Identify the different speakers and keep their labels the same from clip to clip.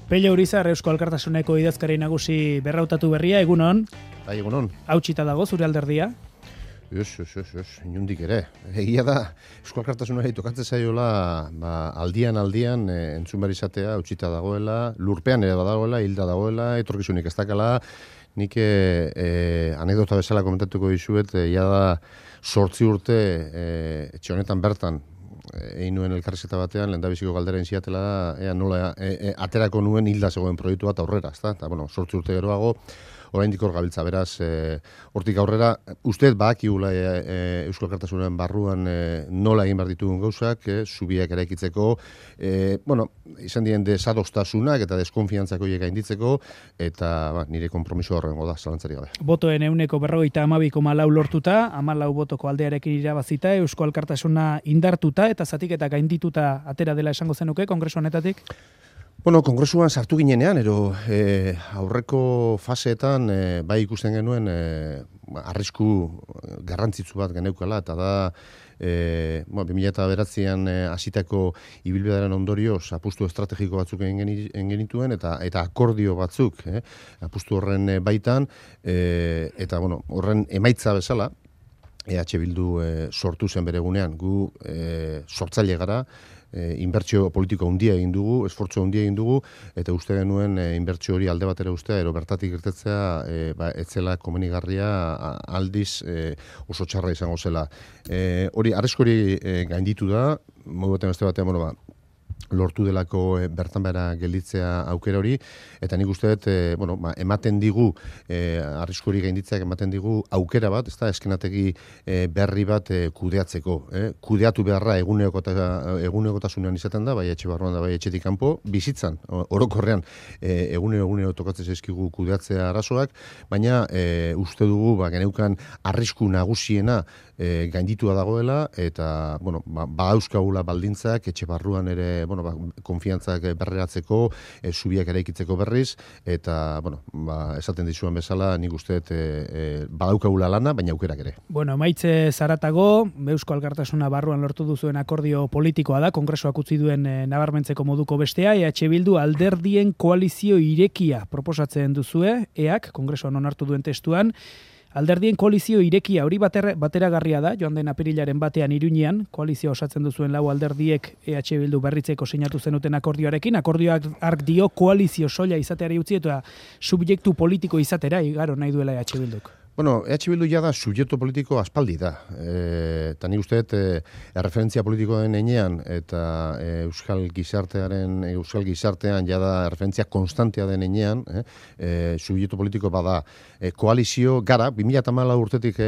Speaker 1: Pello Urizar, Eusko Alkartasuneko idazkari nagusi berrautatu berria, egunon.
Speaker 2: Bai, egunon.
Speaker 1: Hautsita dago, zure alderdia?
Speaker 2: Inundik ere. Egia da, Eusko Alkartasunari tokatzen zaiola, aldian entzun behar izatea, hautsita dagoela, lurpean ere badagoela, hilda dagoela, etorkizunik ez dakala. Nik anekdota bezala komentatuko dizuet, ia da 8 urte etxe honetan bertan, egin nuen elkarrizketa batean, lehendabiziko galdera ziatela ea nola aterako nuen hilda zegoen proiektu bat aurrera, ezta? Eta, 8 urte geroago, oraindik hor gabiltza, beraz, hortik aurrera, uste badakigula Eusko Alkartasunaren barruan nola egin behar ditugun gauzak, zubiak eraikitzeko, izan dien desadostasunak eta deskonfiantzak horiek gainditzeko, eta nire konpromiso horrengo da, zalantzari gabe.
Speaker 1: Botoen 52,4 lortuta, 14 botoko aldearekin irabazita, Eusko Alkartasuna indartuta eta zatiketa gaindituta atera dela esango zenuke, kongresu honetatik?
Speaker 2: Kongresuan sartu ginenean, aurreko faseetan bai ikusten genuen arrisku garrantzitsu bat geneukala, eta da 2009an hasitako ibilbidearen ondorioz apustu estrategiko batzuk egin genituen, eta akordio batzuk apustu horren baitan, eta horren emaitza bezala, EH Bildu sortu zen bere egunean, gu sortzaile gara, inbertsio politiko handia egin dugu, esfortzu handia egin dugu, eta uste genuen inbertsio hori alde batera ustea, bertatik irtetzea, etzela komenigarria aldiz oso txarra izango zela. Arrisku hori gainditu da, modu batean, lortu delako bertan behera gelditzea aukera hori, eta nik uste dut, ematen digu, arrisku hori gainditzeak ematen digu aukera bat, eskenategi berri bat kudeatzeko. Kudeatu beharra egunerokotasunean izaten da, bai etxe barruan da, bai etxetik kanpo, bizitzan, orokorrean, egunero tokatzen zaizkigu kudeatzea arazoak, baina uste dugu, geneukan arrisku nagusiena gainditua dagoela, eta, badauzkagula baldintzak, etxe barruan ere, konfiantzak berreratzeko, zubiak eraikitzeko berriz, eta, esaten dizuan bezala, nik usteet badaukagula lana, baina aukerak ere.
Speaker 1: Maitze zaratago, Eusko Alkartasuna barruan lortu duzuen akordio politikoa da, kongresuak utzi duen nabarmentzeko moduko bestea, EH Bildu alderdien koalizio irekia proposatzen duzue, EAK, kongresuan onartu duen testuan, alderdien koalizio irekia hori bateragarria da, joan den apirilaren batean Iruñean, koalizio osatzen duzuen lau alderdiek EH Bildu berritzeko sinatu zenuten akordioarekin, akordioak ark dio koalizio soila izateari utzi eta subjektu politiko izatera igaro nahi duela EH Bilduk.
Speaker 2: EH Bildu ja da subjektu politiko aspaldi da. Eta nik uste erreferentzia politiko den enean eta Euskal gizartean ja da erreferentzia konstantea den enean, subjektu politiko bada. Koalizio gara, 2014 urtetik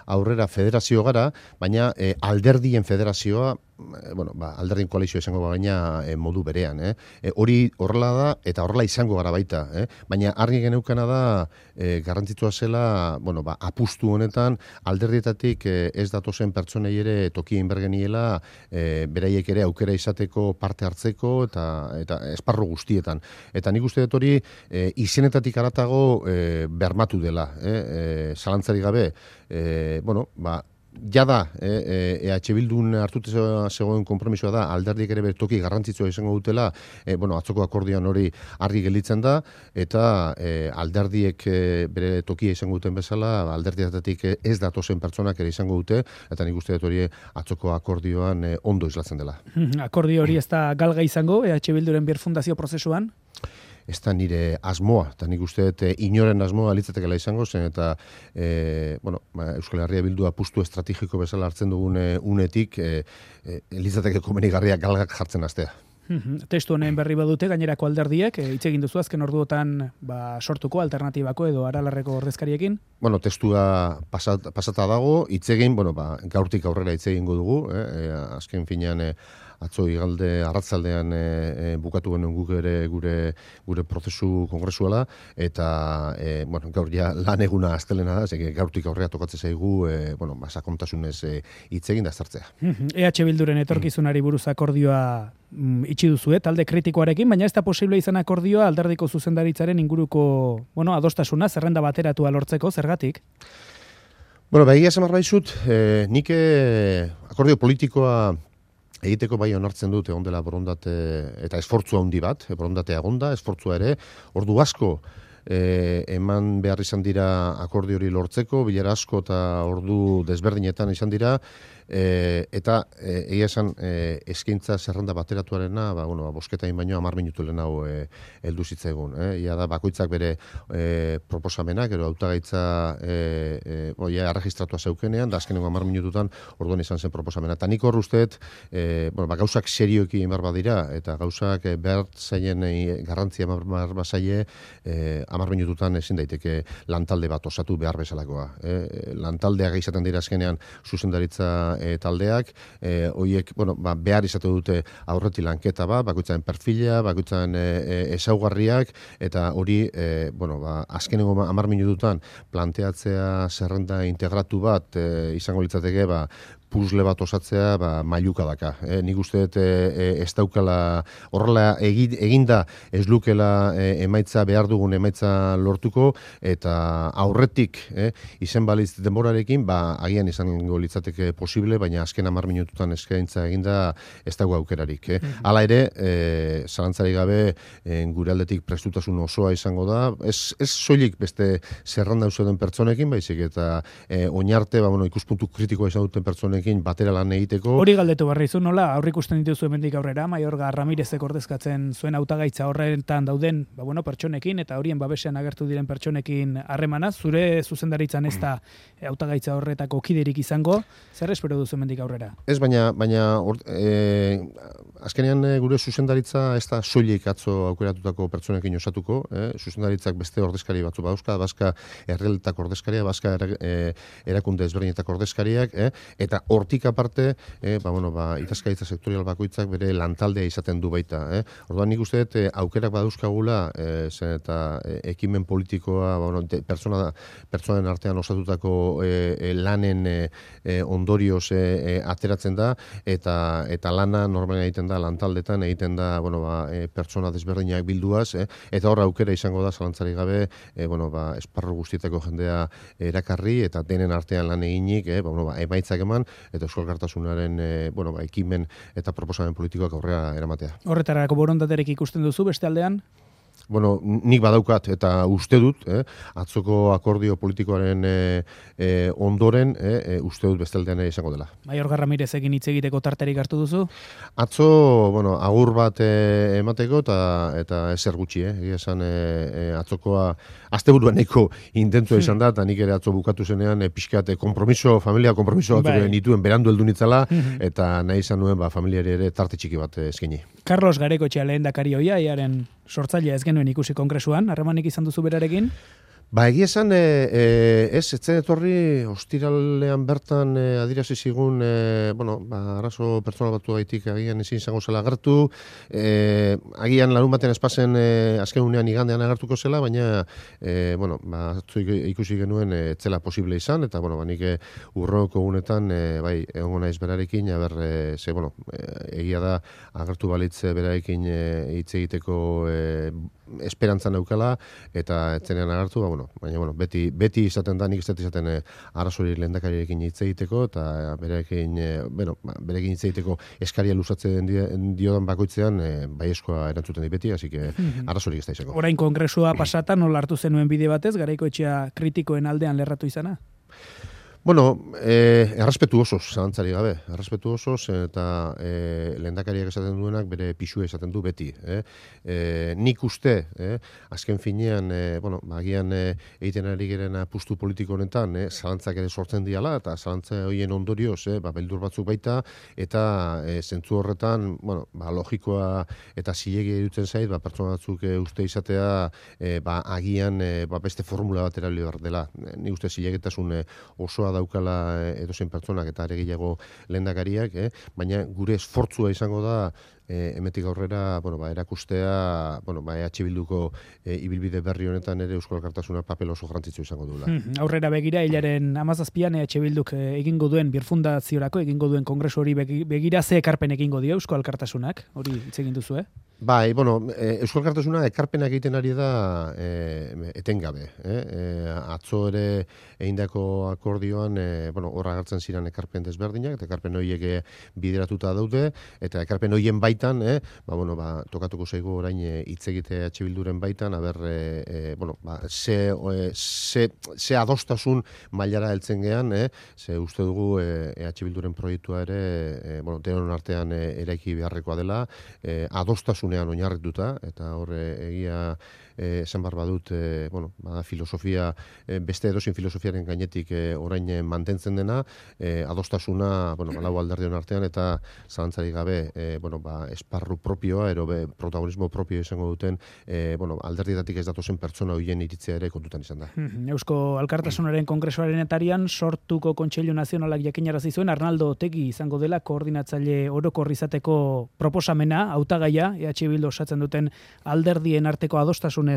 Speaker 2: aurrera federazio gara, baina alderdien federazioa, alderdien koalizio izango baina modu berean. Hori horrela da eta horrela izango gara baita. Baina argi geneukana da garrantzitsua zela, apustu honetan alderdietatik ez datozen pertsonei ere tokien bergeniela beraiek ere aukera izateko parte hartzeko eta esparru guztietan. Eta nik uste dut hori izenetatik haratago bermatu dela. Zalantzari gabe, jada, EH Bildun hartute zegoen konpromisoa da, alderdiek ere toki garrantzitsua izango dutela, atzoko akordioan hori argi gelditzen da, eta alderdiek bere tokia izango duten bezala, alderdietatik ez datozen pertsonak ere izango dute, eta nik uste dut hori atzoko akordioan ondo islatzen dela.
Speaker 1: Akordio hori ez da galga izango, EH Bilduren birfundazio prozesuan?
Speaker 2: Ez da nire asmoa, eta nik uste inoren asmoa litzatekela izango zen, eta Euskal Herria Bildu apustu estrategiko bezala hartzen dugun unetik, litzateke komenigarria galgak jartzen hastea.
Speaker 1: Testu honen berri badute gainerako alderdiek, hitz egin duzu azken orduotan sortuko alternatibako edo Aralarreko ordezkariekin?
Speaker 2: Testua pasata dago, hitz egin, gaurtik aurrera hitz egingo dugu, azken finean atzo igalde arratzaldean bukatu genuen guk ere gure prozesu kongresuala, eta gaur ja lan eguna astelena da, gaurtik aurrera tokatzen zaigu sakontasunez hitz egin da zartzea.
Speaker 1: EH Bilduren etorkizunari buruz akordioa itxi duzu, talde kritikoarekin, baina ez da posible izan akordioa alderdiko zuzendaritzaren inguruko adostasuna, zerrenda bateratua lortzeko, zergatik?
Speaker 2: Egia esan barbaizut, nik akordio politikoa egiteko bai onartzen dut egon dela borondate eta esfortzu handi bat, borondatea egonda, esfortzua ere, ordu asko eman behar izan dira akordio hori lortzeko, bilera asko eta ordu desberdinetan izan dira, eta egia esan eskaintza zerrenda bateratuarena, bosketain baino 10 minutu lehenago heldu zitzaigun. Ia da bakoitzak bere proposamenak, edo hautagaitza erregistratua zeukenean, da azkenengo 10 minututan orduan izan zen proposamena. Eta nik hor usteet, gauzak serioki emar badira, eta gauzak behar zaien garrantzia emar bazaie, 10 minututan ezin daiteke lantalde bat osatu behar bezalakoa. Lantaldeak izaten dira azkenean zuzendaritza taldeak, horiek behar izate dute aurreti lanketa bat, bakoitzaren perfila, bakoitzaren ezaugarriak, eta hori azkenengo 10 minututan planteatzea zerrenda integratu bat izango litzateke puzle bat osatzea mailuka daka. Nik uste ez daukala horrela eginda ez lukela emaitza behar dugun emaitza lortuko, eta aurretik izen baliz denborarekin agian izango litzateke posible, baina azken 10 minututan eskaintza eginda ez dago aukerarik. Hala ere, zalantzarik gabe gure aldetik prestutasun osoa izango da, ez soilik beste zerranda usaten pertsonekin, baizik eta oinarte ikuspuntu kritikoa izan duten pertsonekin batera lan egiteko.
Speaker 1: Hori galdetu barrizu, nola aurrikusten dituzu hemendik aurrera, Maiorga Ramirezek ordezkatzen zuen hautagaitza horretan dauden pertsonekin, eta horien babesean agertu diren pertsonekin harremana, zure zuzendaritzan ez da hautagaitza horretako kiderik izango, zer espero duzu hemendik aurrera?
Speaker 2: Ez, baina azkenean gure zuzendaritza ez da soilik atzo aukeratutako pertsonekin osatuko, zuzendaritzak beste ordezkari batzu bauzka, Baska Herrialdeetako ordezkaria, Baska erakunde ezberdinetako ordezkariak, eta hortik aparte, ikaskaritza sektorial bakoitzak bere lantaldea izaten du baita. Orduan nik uste dut aukerak badauzkagula, eta ekimen politikoa pertsonen artean osatutako lanen ondorioz ateratzen da, eta lana normalen egiten da, lantaldetan egiten da pertsona desberdinak bilduaz, eta hor aukera izango da, zalantzarik gabe, esparru guztietako jendea erakarri, eta denen artean lan eginik, emaitzak eman, eta Euskal Alkartasunaren ekimen eta proposamen politikoak aurrera eramatea.
Speaker 1: Horretarako borondaterek ikusten duzu beste aldean?
Speaker 2: Nik badaukat eta uste dut, atzoko akordio politikoaren ondoren, uste dut bestaldean izango dela.
Speaker 1: Maiorga Ramirezekin hitz egiteko tarterik hartu duzu?
Speaker 2: Atzo, agur bat emateko eta ezer gutxi, egia esan atzokoa asteburuan nahiko intentua izan da, eta nik ere atzo bukatu zenean pixkat familia kompromiso batzuk nituen berandu heldu nitzala, eta nahi izan nuen familiari ere tarte txiki bat eskaini.
Speaker 1: Carlos Garekoetxea lehendakari ohia, iaren sortzailea ez genuen ikusi kongresuan, harremanik izan duzu berarekin?
Speaker 2: Egia esan, ez zen etorri, ostiralean bertan adirazi zigun, arazo pertsonal batu gaitik agian ezin izango zela agertu, agian larun baten espazen azken unean igandean agertuko zela, baina, ikusi genuen etzela posible izan, eta, nik urroko gunetan, egongo naiz berarekin, egia da agertu balitze berarekin hitz egiteko esperantzan eukala, eta etzenean agertu, baina beti izaten da, nik ez izaten arazori lehendakarirekin hitz egiteko, eta berekin hitz egiteko eskaria luzatzen diodan bakoitzean, baiezkoa erantzuten di beti, hasi que arazorik ez da izango.
Speaker 1: Orain kongresua pasatan, nola hartu zenuen bide batez, Garaikoetxea kritikoen aldean lerratu izana?
Speaker 2: Errespetu osoz, zalantzari gabe. Errespetu osoz, eta lehendakariak esaten duenak bere pixua esaten du beti. Nik uste, azken finean, agian egiten ari geren apustu politiko honetan, zalantzak ere sortzen diala, eta zalantza horien ondorioz, beldur batzuk baita, eta zentzu horretan, logikoa eta zilegi edutzen zait, pertsona batzuk uste izatea, agian beste formula bat erabili behar dela. Nik uste zilegetasun osoa daukala edozein pertsonak eta are gehiago lehendakariak, baina gure esfortzua izango da hemetik aurrera, erakustea, EH Bilduko ibilbide berri honetan ere Eusko Alkartasuna papel oso garrantzitsu izango duela.
Speaker 1: Aurrera begira, hilaren 17an EH Bilduk egingo duen birfundaziorako, egingo duen kongresu hori begira ze ekarpen egingo dio Eusko Alkartasunak, hori hitz egin duzu,
Speaker 2: Bai, Eusko Alkartasuna ekarpena egiten ari da etengabe. Atzo ere egindako akordioan, horra agertzen ziren ekarpen desberdinak, eta ekarpen horiek bideratuta daude, eta ekarpen horien baitan, tokatuko zaigu orain hitz egite EH Bilduren baitan, ze adostasun mailara heltzen gean, ze uste dugu EH Bilduren proiektua ere, denon artean eraiki beharrekoa dela, adostasunean oinarrituta, eta hor egia esan behar badut, filosofia, beste edozein filosofiaren gainetik orain mantentzen dena, adostasuna, lau alderdion artean, eta zalantzarik gabe, esparru propioa, protagonismo propio izango duten, alderdietatik ez datozen pertsona horien iritzea ere kontutan izan da.
Speaker 1: Eusko Alkartasunaren kongresuaren etarian sortuko Kontseilu Nazionalak jakinarazi zuen Arnaldo Otegi izango dela koordinatzaile orokor izateko proposamena, hautagaia, EH Bildu osatzen duten alderdien arteko adostasunez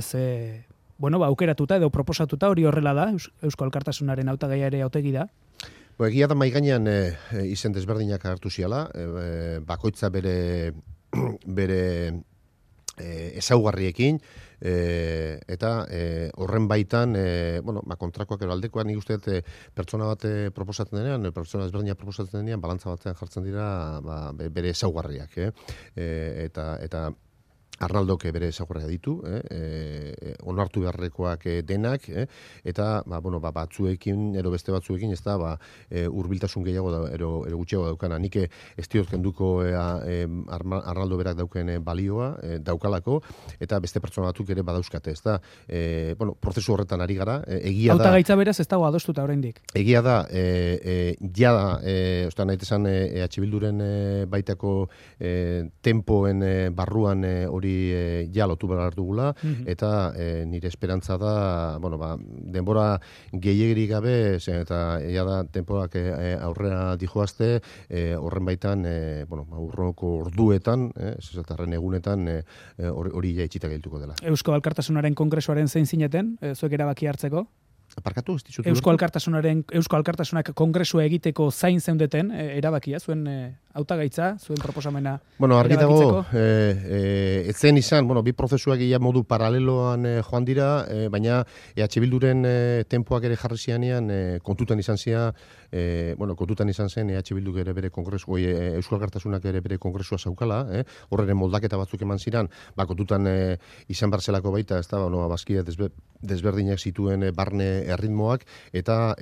Speaker 1: aukeratuta edo proposatuta, hori horrela da, Eusko Alkartasunaren hautagaia ere Otegi da.
Speaker 2: Egia da maigainan izen desberdinak hartu ziala, bakoitza bere ezaugarriekin, eta horren baitan, kontrakoak ero aldekoak, nik uste pertsona bat proposatzen denean, pertsona ezberdinak proposatzen denean, balantza batean jartzen dira bere ezaugarriak. Eta Arnaldok bere ezaugarria ditu, onartu beharrekoak denak, eta batzuekin, ero beste batzuekin, ez da, hurbiltasun gehiago ero gutxiago daukana. Nik ez diot kenduko Arnaldo berak dauken balioa, daukalako, eta beste pertsona batzuk ere badauzkate, ez da. Prozesu horretan ari gara, egia da...
Speaker 1: Hautagaitza beraz ez dago adostuta oraindik.
Speaker 2: Egia da, nahitesan EH Bilduren baitako tempoen barruan hori lotu behar dugula, eta nire esperantza da, denbora gehiagirik gabe, eta da temporak aurrera dijoazte, horren baitan, aurroko orduetan, esatarren egunetan, hori itxita gehituko dela.
Speaker 1: Eusko Alkartasunaren kongresuaren zein zineten, zuek erabaki hartzeko?
Speaker 2: Aparkatu, ez dizut.
Speaker 1: Eusko Alkartasunak kongresua egiteko zain zeundeten erabakia, zuen hautagaitza, zuen proposamena
Speaker 2: argi
Speaker 1: erabakitzeko?
Speaker 2: Dago, etzen izan, bi prozesuak modu paraleloan joan dira, baina EH Bilduren tempoak ere jarri zianean kontutan izan zen EH Bilduk ere bere kongresu, Eusko Alkartasunak ere bere kongresua zaukala, horren moldaketa batzuk eman ziren, kontutan izan barzelako baita, ez da, bazkide desberdinak zituen barne erritmoak, eta,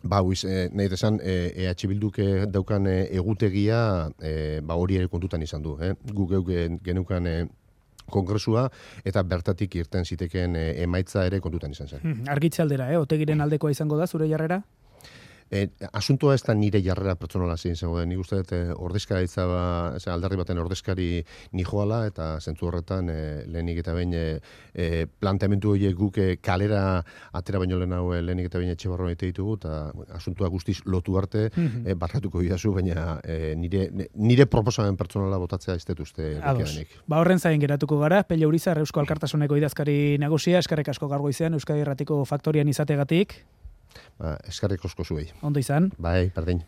Speaker 2: nahi desan, EH Bilduk daukan egutegia hori ere kontutan izan du. Guk geneukan kongresua, eta bertatik irten ziteken emaitza ere kontutan izan zen.
Speaker 1: Argitze aldera, Otegiren aldekoa izango da, zure jarrera?
Speaker 2: Asuntoa ez da nire jarrera pertsonala zein zengo den. Nik uste dut ordezkaritza alderdi baten ordezkari nijoala, eta zentzu horretan lehenik eta behin planteamendu horiek guk kalera atera baino lehen hau lehenik eta behin etxe barroan egite ditugu, eta asuntoa guztiz lotu arte barratuko bidazu, baina nire proposamen pertsonala botatzea ez dut uste dekedanik.
Speaker 1: Horren zain geratuko gara, Pello Urizar, Eusko Alkartasuneko idazkari nagusia, eskerrik asko gaur goizean, Euskadi Irratiko Faktorian izategatik.
Speaker 2: Eskerrik asko zuei.
Speaker 1: Ondo izan.
Speaker 2: Bai, perdin.